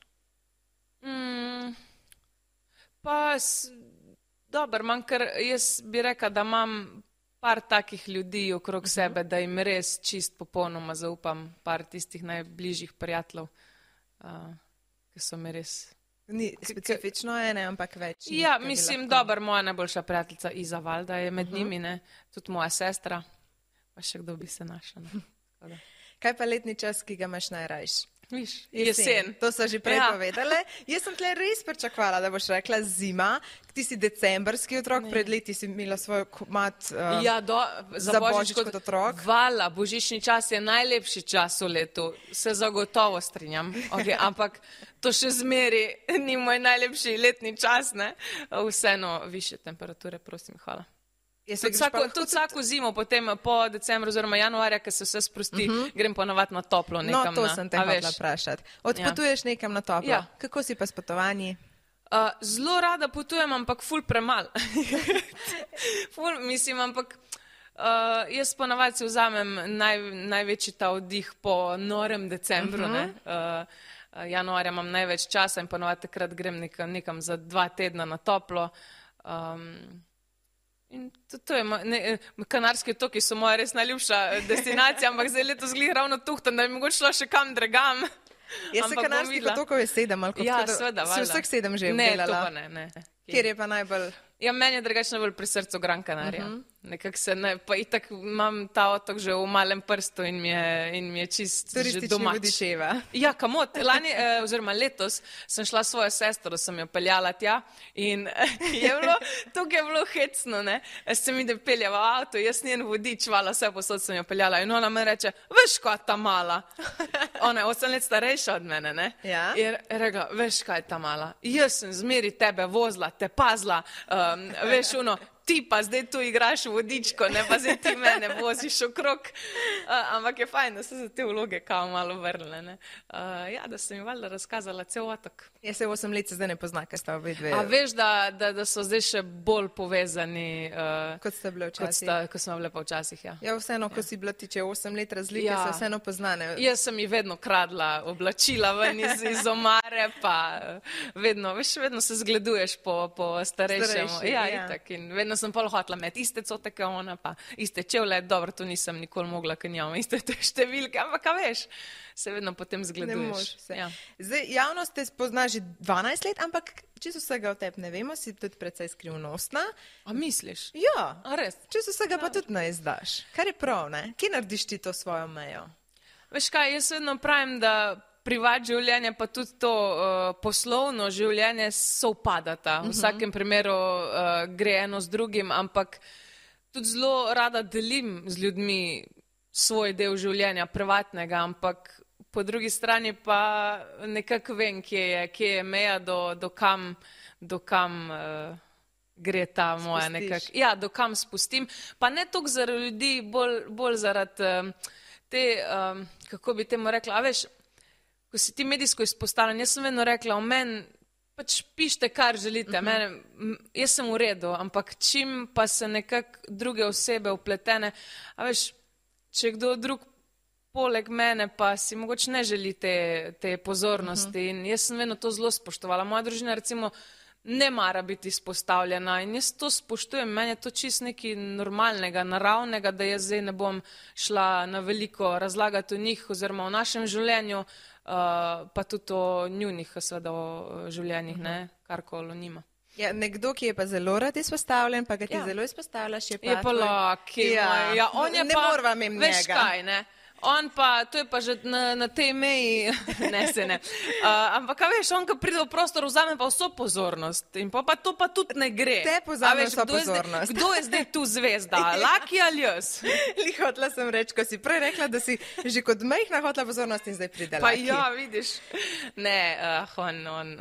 Dober, ker jaz bi rekla, da imam par takih ljudi okrog sebe, da jim res čist popolnoma zaupam, par tistih najbližjih prijateljev, ki so mi res... Ni specifično ene, ampak več. Ja, mislim, dober, moja najboljša prijateljica Iza Valda je med njimi, ne, tudi moja sestra, pa še kdo bi se našla. Kaj pa letni čas, ki ga imaš najrajš? Viš, jesen. To so že prej povedale. Jaz sem tle res pričakovala, da boš rekla zima. Ti si decembrski otrok, pred leti si imela svoj komad za Božič kot otrok. Hvala, božični čas je najlepši čas v letu. Se zagotovo strinjam. Ampak to še zmeri ni moj najlepši letni čas, ne? Vseeno više temperature, prosim, hvala. Tudi vsako zimo, potem po decembru oziroma januarja, ko se vse sprosti, grem ponovati na toplo nekam. No, to sem te hotela vprašati. Odpotuješ nekam na toplo. Ja. Kako si pa s potovanji? Zelo rada potujem, ampak ful premal. Mislim, ampak jaz ponavadi si vzamem največji ta oddih po norem decembru, ne. Januarja imam največ časa in ponavadi takrat grem nekam za 2 tedna na toplo. In to je, Kanarski otoki so moja res najljubša destinacija, ampak zdaj letos glih ravno tuhtam, da bi mogoče šla še kam drugam. Jaz se Kanarskih otokov je 7, ali ja, sveda, si vseh 7 že obdelala? Ne, to pa ne. Kjer je pa najbolj... Ja, meni je drugače najbolj pri srcu Gran Canaria. Nekako se ne, pa itak imam ta otok že v malem prstu in mi je čist že domač. Vodičeva. Ja, kamot. Lani, oziroma letos sem šla svojo sestro, sem jo peljala tja in tukaj je bilo hecno, ne. Se mi da peljava v avto, jaz njen vodič, vala, vse posod sem jo peljala in ona me reče, veš, kaj ta mala. Ona je 8 let starejša od mene, ne. Ja. In rekla, veš, kaj ta mala. Jaz sem zmeri tebe vozila, te pazila, veš, ti pa zdaj tu igraš vodičko, ne pa zdaj ti mene voziš okrog. Ampak je fajn, da so se te vloge kao malo vrle, ne. Ja, da sem mi valjda razkazala cel otok. Ja, se 8 let se zdaj ne pozna, kaj sta obe dve. A veš, da so zdaj še bolj povezani, kot ste bile včasih. Kot smo bile pa včasih, ja. Ja, vseeno, ko si bila tiče 8 let razlike, se vseeno poznane. Jaz sem ji vedno kradla oblačila ven iz omare, pa vedno se zgleduješ po starejšemu. Ja, itak. In vedno sem pol hotla imeti iste cote, kot ona, pa iste čevlje, dobro, to nisem nikoli mogla, ker nimam iste te številke, ampak a veš, se vedno potem zgleduješ. Ja. Zdaj, javnost te spozna že 12 let, ampak čisto vsega o tebi ne vemo, si tudi precej skrivnostna. A misliš? Ja, A res? čisto vsega pa tudi ne izdaš. Kar je prav, ne? Kje narediš ti to svojo mejo? Veš kaj, jaz vedno pravim, da privat življenje pa tudi to poslovno življenje sovpadata. V vsakem primeru gre eno z drugim, ampak tudi zelo rada delim z ljudmi svoj del življenja, privatnega, ampak po drugi strani pa nekako vem, kje je meja do kam gre ta moja nekako. Ja, do kam spustim. Pa ne toliko zaradi ljudi, bolj zaradi te, kako bi temu rekla, a veš, ko si ti medijsko izpostavljen, jaz sem vedno rekla, o meni pač pišite, kar želite, jaz sem v redu, ampak čim pa se nekako druge osebe vpletene, a veš, če kdo drug poleg mene pa si mogoče ne želi te pozornosti in jaz sem vedno to zelo spoštovala. Moja družina recimo ne mara biti izpostavljena in jaz to spoštujem, meni je to čist nekaj normalnega, naravnega, da jaz zdaj ne bom šla na veliko razlagati o njih oziroma o našem življenju, pa tudi o njunih, seveda o življenjih, ne, karkoli o njima. Ja, nekdo, ki je pa zelo rad izpostavljen, pa ga ti zelo izpostavljaš, je pa... Je pa Laki, ja, on je ne pa... morva mimo Veš njega. kaj, ne? On pa, to je pa že na tej meji, ne se ne. Ampak, a veš, on, ko pride v prostor, vzame pa vso pozornost in pa to pa tudi ne gre. Te pozame vso pozornost. Kdo je zdaj tu zvezda? Laki ali jaz? Hotla sem reči, ko si prej rekla, da si že kot majhna hotla pozornost in zdaj pride Pa Laki. ja, vidiš. Ne,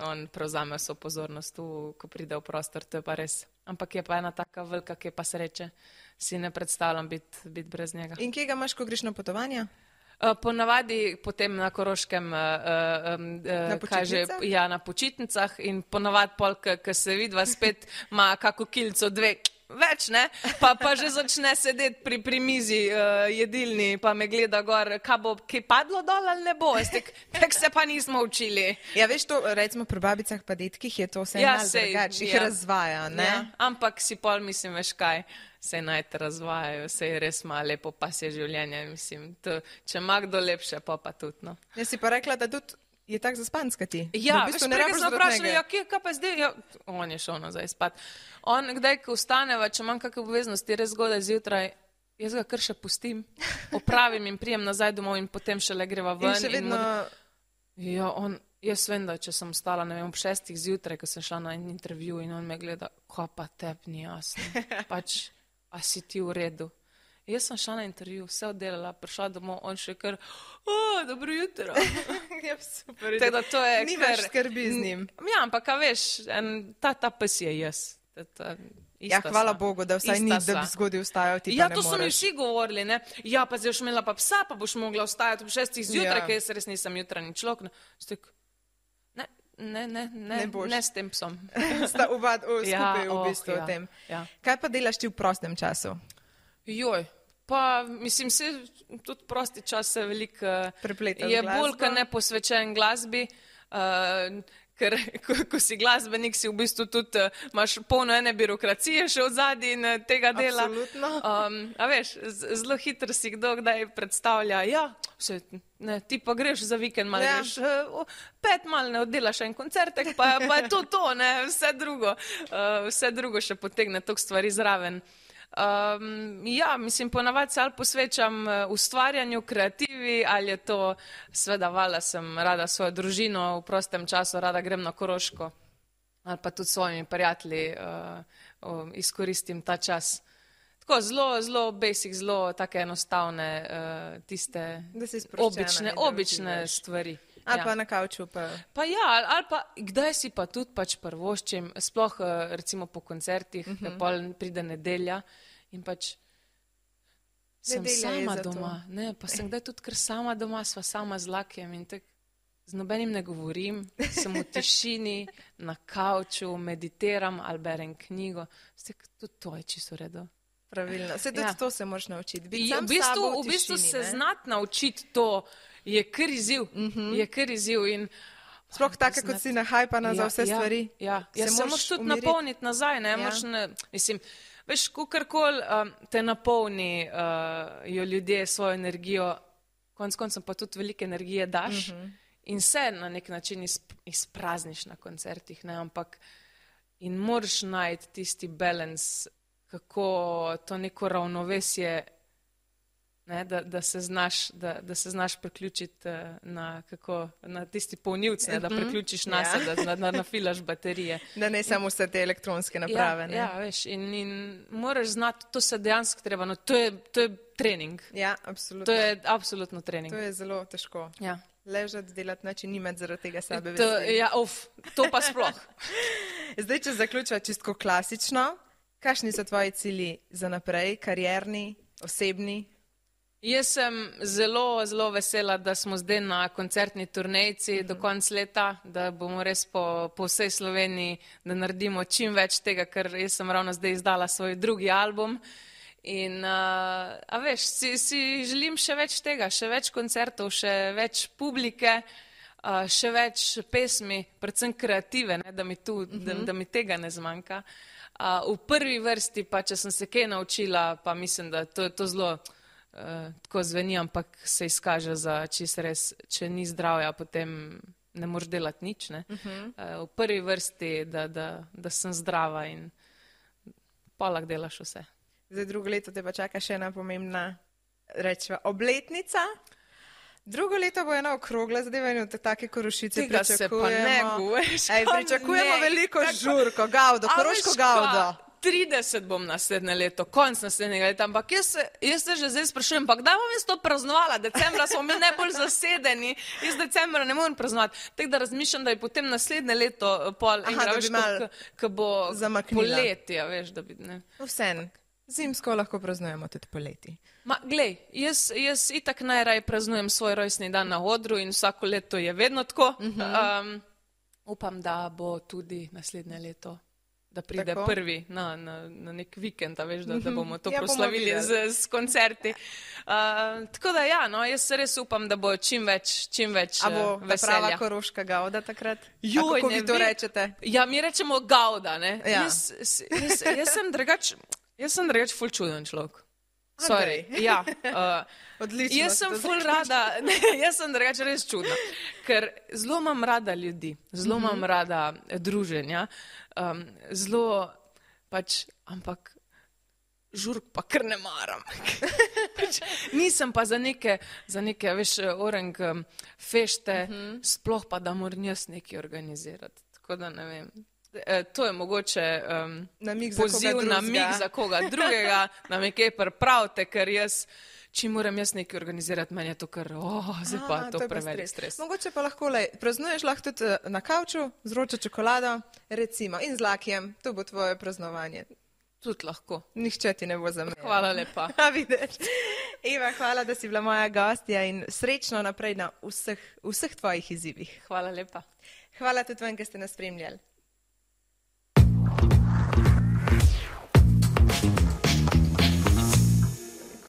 on prevzame vso pozornost tu, ko pride v prostor, to je pa res. Ampak je pa ena taka velika, ki pa sreče. Si ne predstavljam biti brez njega. In kje ga imaš, ko greš na potovanja? Ponavadi potem na Koroškem, na počitnicah in ponavadi pol, ko se vidva spet, ima kako kilco dve več, ne? Pa že začne sedeti pri mizi jedilni, pa me gleda gor, kaj bo, kaj padlo dol ali ne bo. Tek se pa nismo učili. Ja, veš to, recimo pri babicah pa detkih je to vse malo drugače, jih razvaja, ne? Ja, ampak si pol mislim, veš kaj, se naj te razvajajo, se je res malo lepo, pa se življenje, mislim, to, če ima kdo lepše, pa tudi, no. Jaz si pa rekla, da tudi je tak zaspanska ti. Ja, veš, prej sem vprašala, ja, kaj pa zdaj, ja, on je šel nazaj spat. On, kdaj, ko vstaneva, če imam kakve obveznosti, res zgodaj zjutraj, jaz ga kar še pustim, opravim in prijem nazaj domov in potem šele greva ven. In še vedno... Ja, jaz vem, da če sem stala, ne vem, ob 6 zjutraj, ko sem šla na intervju in on me gleda, ko pa tebi ni jasno, pač, a si ti v redu. Jaz sem šla na intervju, vse oddelala, prišla domov, on še kar, dobro jutro. Ja, super. Tako da to je nimaš skrbi z njim. Ja, ampak, a veš, ta pes je jaz. Ja, hvala Bogu, da vsaj ni, da bi zgodaj vstajal, ti pa ne moreš. Ja, to so mi vsi govorili, ne. Ja, pa zdaj boš imela pa psa, pa boš mogla vstajati ob 6 zjutraj, ker jaz res nisem jutranji človek. Ne s tem psom. Sta skupaj v bistvu o tem. Kaj pa delaš ti v prostem času? Joj. Pa, mislim, se tudi prosti čas se veliko je bolj, ko ne posvečen glasbi, ker ko si glasbenik, si v bistvu tudi imaš polno ene birokracije še od zadnji in tega dela. Absolutno. A veš, zelo hitro si kdo kdaj predstavlja, ja, ti pa greš za vikend, malo greš, 5 malo ne oddelaš en koncertek, pa je to, ne, vse drugo še potegne toliko stvari zraven. Ja, mislim, ponavadi se ali posvečam ustvarjanju, kreativi, ali je to, seveda, valjda sem rada svojo družino v prostem času, rada grem na Koroško, ali pa tudi s svojimi prijatelji izkoristim ta čas. Tako, zelo basic, zelo take enostavne, tiste obične stvari. Ali pa na kavču pa... Pa ja, ali pa kdaj si pa tudi pač prvoščim, sploh recimo po koncertih, pol pride nedelja in pač sem sama doma. Ne, pa sem kdaj tudi kar sama doma, sva sama z Lakijem in tak z nobenim ne govorim, sem v tišini, na kavču, meditiram ali berem knjigo. Tudi to je čisto v redu. Pravilno. Se tudi to se moraš naučiti. V bistvu se znati naučiti to je kar izziv. Je kar izziv in sploh tako, kot si nahajpana za vse stvari. Ja, se moraš tudi napolniti nazaj, ne? Mislim, Veš, kakorkoli te napolni jo ljudje svojo energijo, konec koncev pa tudi veliko energije daš in se na nek način izprazniš na koncertih, ne, ampak in moraš najti tisti balans, kako to neko ravnovesje, ne, da se znaš priključiti na tisti polnilc, ne, da priključiš nase, da nafilaš baterije. Da ne samo vse te elektronske naprave. Ne? Ja, veš, in moraš znati, to se dejansko treba, no, to je trening. Ja, absolutno. To je absolutno trening. To je zelo težko. Ja. Ležati, delati noč in nimati zaradi tega sebe Ja, to pa sploh. Zdaj, če zaključiva čisto klasično, kakšni so tvoji cilji za naprej, karierni, osebni? Jaz sem zelo, zelo vesela, da smo zdaj na koncertni turnejci do konca leta, da bomo res po vsej Sloveniji, da naredimo čim več tega, ker jaz sem ravno zdaj izdala svoj drugi album. In, a veš, si želim še več tega, še več koncertov, še več publike, še več pesmi, predvsem kreative, ne, da mi tega ne zmanjka. V prvi vrsti pa, če sem se kaj naučila, pa mislim, da to je zelo tako zveni, ampak se izkaže za čisto res, če ni zdravja, potem ne moreš delati nič. Ne. V prvi vrsti, da sem zdrava in pa lahko delaš vse. Zdaj drugo leto te pa čaka še ena pomembna, rečeva, obletnica. Drugo leto bo ena okrogla zadeva in take Korošice pričakujemo. Pričakujemo veliko žurko, gavdo, koroško gavdo. 30 bom naslednje leto, konc naslednjega leta, ampak jaz se že zdaj sprašujem, pa kdaj bom jaz to praznovala? Decembra smo mi najbolj zasedeni, jaz decembra ne morem praznovati. Tako da razmišljam, da je potem naslednje leto pol enega, veš, ko bo poletje, veš, da bi, ne. Vsem. Zimsko lahko praznujemo tudi poleti. Ma, glej, jaz itak najraje praznujem svoj rojstni dan na odru in vsako leto je vedno tako. Upam, da bo tudi naslednje leto, da pride tako? Prvi na nek vikend, veš, da bomo to proslavili s koncerti. Tako da ja, no, jaz res upam, da bo čim več veselja. A bo prava koroška gavda takrat? Joj, kako vi to rečete? Ja, mi rečemo gavda, ne? Ja. Jaz sem drugač ful čuden človek. Sorry. Ja. Odlično. Jaz sem ful rada, jaz sem drugač res čudna, ker zelo imam rada ljudi, zelo imam rada druženja, zelo pač, ampak žurk pa kar ne maram. Nisem pa za neke, veš, orang fešte, sploh pa, da moram jaz nekaj organizirati. Tako da ne vem. To je mogoče poziv na mig za koga drugega, da me kaj pripravite, ker če moram jaz nekaj organizirati, meni je to kar, zdaj pa to preveč stres. Mogoče pa lahko, praznuješ lahko tudi na kavču, z vročo čokolado, recimo, in z lakijem, to bo tvoje praznovanje. Tudi lahko. Nihče ti ne bo zamejal. Hvala lepa. Vidiš. Eva, hvala, da si bila moja gostja in srečno naprej na vseh tvojih izzivih. Hvala lepa. Hvala tudi vam, ki ste nas spremljali.